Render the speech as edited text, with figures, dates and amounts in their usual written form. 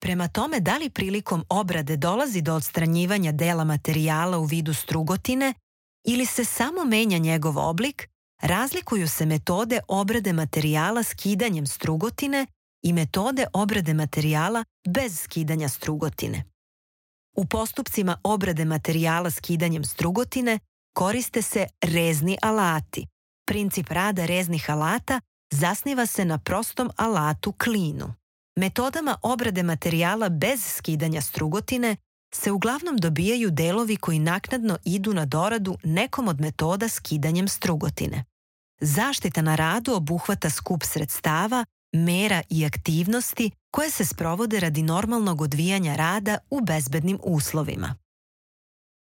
Prema tome da li prilikom obrade dolazi do odstranjivanja dela materijala u vidu strugotine ili se samo menja njegov oblik, razlikuju se metode obrade materijala skidanjem strugotine i metode obrade materijala bez skidanja strugotine. U postupcima obrade materijala skidanjem strugotine koriste se rezni alati. Princip rada reznih alata zasniva se na prostom alatu klinu. Metodama obrade materijala bez skidanja strugotine se uglavnom dobijaju delovi koji naknadno idu na doradu nekom od metoda skidanjem strugotine. Zaštita na radu obuhvata skup sredstava, mera i aktivnosti koje se sprovode radi normalnog odvijanja rada u bezbednim uslovima.